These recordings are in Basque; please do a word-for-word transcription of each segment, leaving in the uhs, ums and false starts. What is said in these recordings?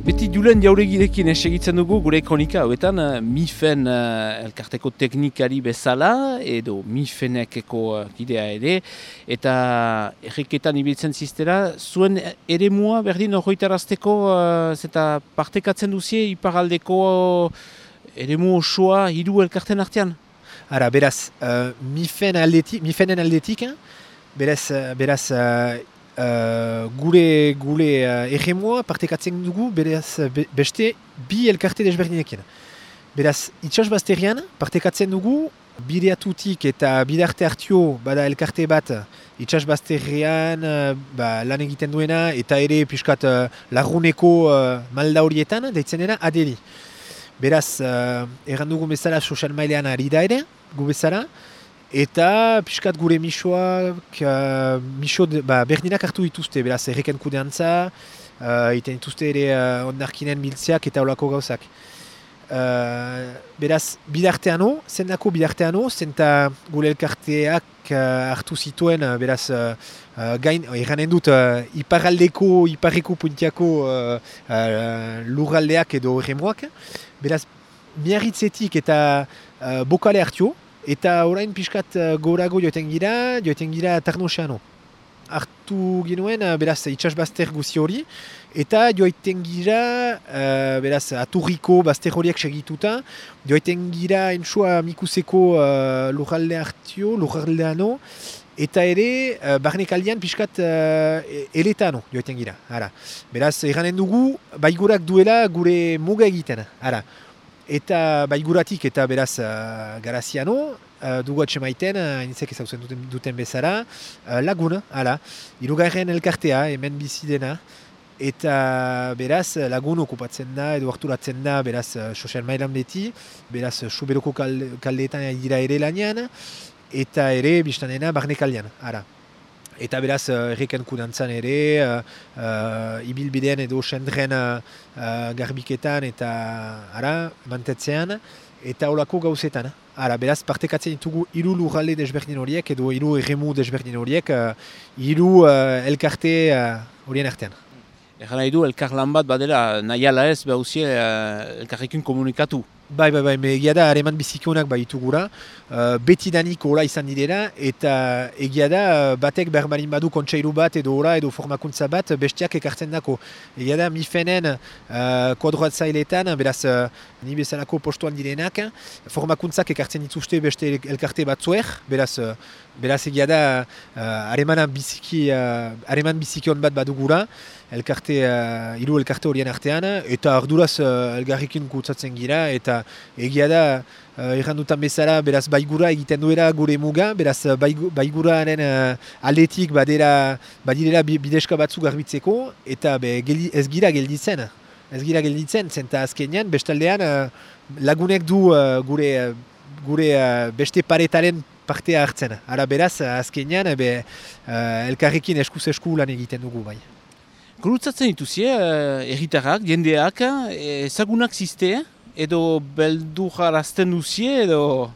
Beti Julen Jauregirekin segitzen dugu gure kronika hauetan MIFEN uh, elkarteko teknikari bezala edo MIFENekeko uh, kidea ere eta erreketan ibiltzen ziztera zuen eremua berdin horretarazteko uh, zeta partekatzen duzie iparaldeko uh, eremu osoa hiru elkarten artean? Ara, beraz, uh, MIFEN aldetik, MIFENen aldetik, beraz, beraz uh, Uh, gure gure uh, erremoa partekatzen dugu beraz be, beste bi elkarte desberdinekin. Beraz, itsasbazterian partekatzen dugu bideatutik eta bidarte hartio bada elkarte bat itsasbazterian uh, ba, lan egiten duena eta ere piskat uh, laguneko uh, malda horietan deitzen dena aderi. Beraz, uh, erran dugu bezala sozial mailean ari da ere, gu bezala, eta piskat gure misoak, uh, miso ba, berdinak hartu dituzte, beraz, erreken kudeantza, uh, iten dituzte ere uh, ondarkinen biltzeak eta olako gauzak. Uh, beraz, bidarteano, zendako bidarteano, zenta gure elkarteak uh, hartu zituen, uh, beraz, uh, uh, gain, erranen dut, uh, iparaldeko, iparreko puntiako uh, uh, lurraldeak edo erremoak, beraz, miarritzetik eta uh, bokale hartio, eta orain pixkat uh, gorago joeten gira, joeten gira Tarnoseano. Hartu ginuen, uh, beraz, itsasbazter guzi hori, eta joiten gira, uh, beraz, aturriko bazter horiek segituta, joiten gira entsua mikuseko uh, lurralde hartio, lurraldeano, eta ere, uh, barnekaldian pixkat uh, eletano joiten gira. Ara. Beraz, erranen dugu, baigurak duela gure muga egiten. Ara. Eta baiguratik eta beraz uh, garaziano, uh, dugu atxemaiten, uh, inizek ezautzen duten, duten bezala, uh, laguna, hala, hirugarren elkartea, hemen bizi dena, eta beraz lagun okupatzen da, edo harturatzen da, beraz uh, sozial mailan beti, beraz Suberoko kalde, kaldeetan dira ere lanean, eta ere biztanena barne kaldean, hala. Eta beraz, uh, erreken kudantzan ere, uh, uh, ibilbidean edo sendren uh, uh, garbiketan eta ara, mantetzean, eta olako gauzetan. Ara, beraz, partekatzen ditugu hiru lurralde desberdin horiek edo hiru erremu desberdin horiek, uh, hiru uh, elkarte horien uh, artean. Egan nahi du, elkar lan bat badela, nahi ala ez, behuzie uh, elkarrekin komunikatu. Bai, bai, bai, egia da hareman bizikionak baitu gura, uh, betidanik hola izan direla, eta egia da batek berbalin badu kontseilu bat edo hola edo formakuntza bat bestiak ekartzen dako. Egia da MIFENen uh, kodroatzailetan, beraz uh, ni bezalako postuan direnak, formakuntzak ekartzen dituzte beste elkarte batzuek, beraz, uh, beraz egia da hareman uh, biziki, uh, bizikion bat badugura, elkarte, uh, hiru elkarte horien artean, eta arduraz uh, elgarrikin kutsatzen gira, eta egia da, uh, errandutan bezala, beraz baigura egiten duela gure muga, beraz baiguraren uh, aldetik badera, badirela bideska batzuk garbitzeko, eta be, geldi, ez gira gelditzen. Ez gira gelditzen, zenta azkenean, bestaldean uh, lagunek du uh, gure, uh, gure uh, beste paretaren partea hartzen. Ara beraz, azkenean, be, uh, elkarrekin eskuz esku lan egiten dugu bai. Gurutzatzen dituzie, uh, erritarrak, jendeak, ezagunak ziste, edo beldurrarazten duzie, edo...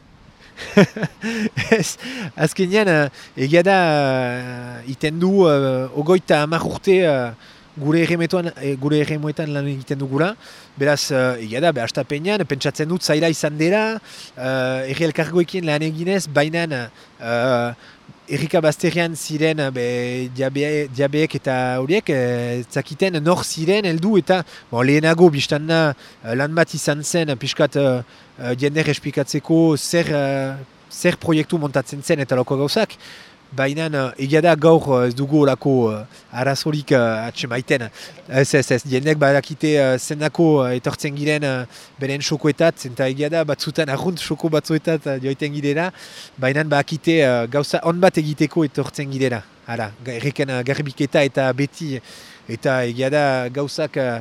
Ez, azkenean, egia da, uh, iten du, uh, ogoita hamar urte uh, gure erremoetan gure erremoetan lan egiten dugula. Beraz, uh, egia da, behastapenean, pentsatzen dut zaila izan dela, uh, erri elkargoekin lan eginez, baina uh, errika bazterian ziren be, diabe, diabeek eta horiek, e, zakiten nor ziren heldu eta bon, lehenago biztan da lan bat izan zen, piskat uh, jender esplikatzeko zer, uh, zer proiektu montatzen zen eta loko gauzak. Baina egia da gaur ez dugu olako uh, arazorik uh, atxemaiten. Ez ez ez, jendek badakite uh, zendako uh, etortzen giren uh, beren xokoetat, zenta egia da batzutan arrunt xoko batzuetat uh, joiten girela, baina badakite uh, gauza on bat egiteko etortzen girela. Hala, erreken uh, garbiketa eta beti, eta egia da gauzak uh,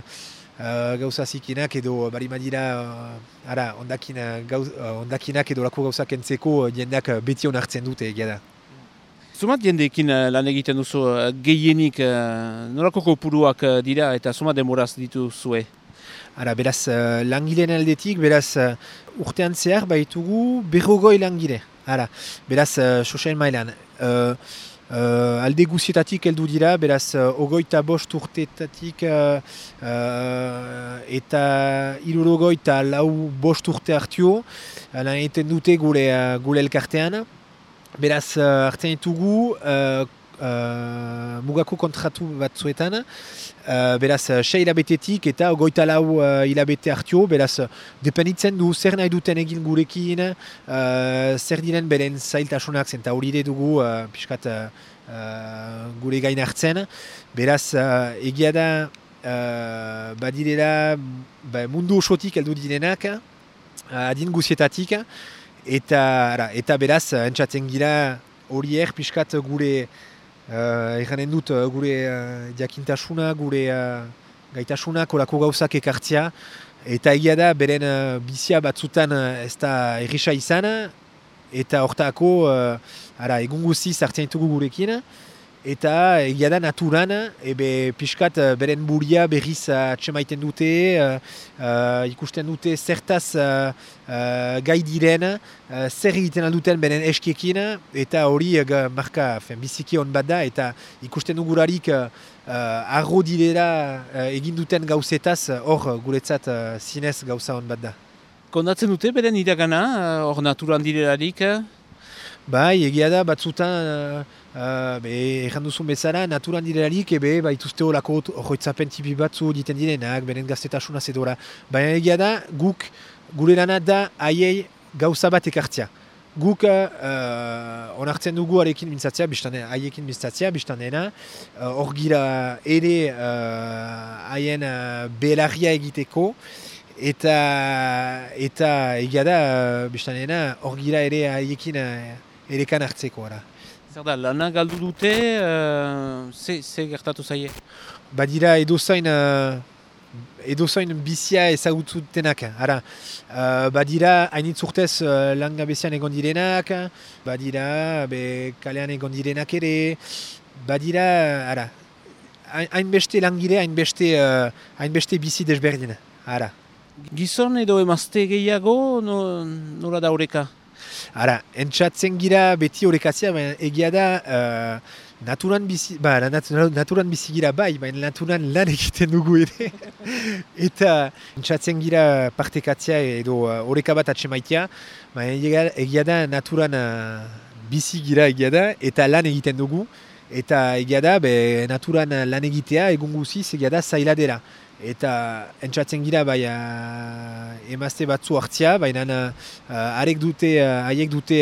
uh, gauza zikinak edo barimadira uh, ara, ondakin, uh, gauz, uh, ondakinak edo lako gauzak entzeko uh, jendeak uh, beti onartzen dute egia da. Zumat jendeekin lan egiten duzu gehienik nolako kopuruak dira eta zumat demoraz dituzue? Ara, beraz, uh, langileen aldetik, beraz, uh, urtean zehar baitugu berrogoi langile. Ara, beraz, uh, sozial mailan. Uh, uh, alde guzietatik heldu dira, beraz, uh, ogoita bost urteetatik uh, uh, eta hirurogeita lau bost urte hartio, uh, lan egiten dute gure, uh, gure elkartean. Beraz, uh, hartzen ditugu, uh, Uh, mugako kontratu batzuetan, uh, beraz, sei hilabetetik eta ogoita lau uh, hilabete hartio, beraz, dependitzen du zer nahi duten egin gurekin, uh, zer diren beren zailtasunak, zenta hori dugu uh, pixkat uh, uh, gure gain hartzen, beraz, uh, egia da, uh, badirela ba, mundu osotik heldu direnak, uh, adin guzietatik, eta, ara, eta beraz, entzatzen gira horiek pixkat gure Uh, Eganen dut uh, gure uh, jakintasuna, gure uh, gaitasuna, kolako gauzak ekartzea. Eta egia da, beren uh, bizia batzutan uh, ez da errisa izan. Eta hortako, uh, ara, egun guziz hartzen ditugu gurekin. Eta egia da naturan, ebe pixkat beren buria berriz atxemaiten dute, uh, uh, ikusten dute zertaz uh, uh, gai diren, uh, zer egiten alduten beren eskiekin, eta hori uh, marka fen, biziki hon bat da, eta ikusten dugurarik uh, uh, arro direla uh, egin duten gauzetaz, hor guretzat uh, zinez gauza hon bat da. Kondatzen dute beren iragana, hor naturan direlarik? Bai, egia da, batzutan, uh, uh, erran duzun bezala, naturan direlarik, ebe, baituzte horako horretzapen tipi batzu diten direnak, beren gaztetasuna zedora. Baina egia da, guk, gure lana da, haiei gauza bat ekartzea. Guk uh, onartzen dugu arekin mintzatzea, haiekin mintzatzea, biztanena, hor uh, gira ere haien uh, uh, belarria egiteko, eta eta egia da, uh, biztanena, hor gira ere haiekin uh, erekan hartzeko, ara. Zer da, lana galdu dute, uh, ze, ze gertatu zaie? Badira edozain, uh, edozain bizia ezagutzutenak, ara. Uh, badira hainitz urtez uh, langabezian egon direnak, badira be, kalean egon direnak ere, badira, ara, hainbeste langile, hainbeste uh, hainbeste bizi desberdin, ara. Gizon edo emazte gehiago, no, nola da horreka? Ara, entzatzen gira beti horrekazia, baina egia da uh, naturan bizi, ba, nat, naturan bizi gira bai, baina naturan lan egiten dugu ere. Eta entzatzen gira partekatzea edo horreka uh, bat atxemaitea, baina egia, egia da naturan uh, bizi gira egia da, eta lan egiten dugu. Eta egia da, be, naturan lan egitea, egun guziz, egia da zaila dela. Eta entzatzen gira bai uh, emazte batzu hartzia, baina uh, arek dute, haiek uh, dute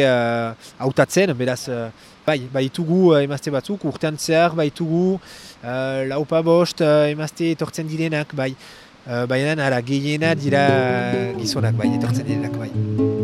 hautatzen, uh, beraz, uh, bai, baitugu uh, emazte batzuk, urtean zehar baitugu uh, laupa bost uh, emazte etortzen direnak, bai, uh, baina ara gehiena dira gizonak, bai, etortzen direnak, bai.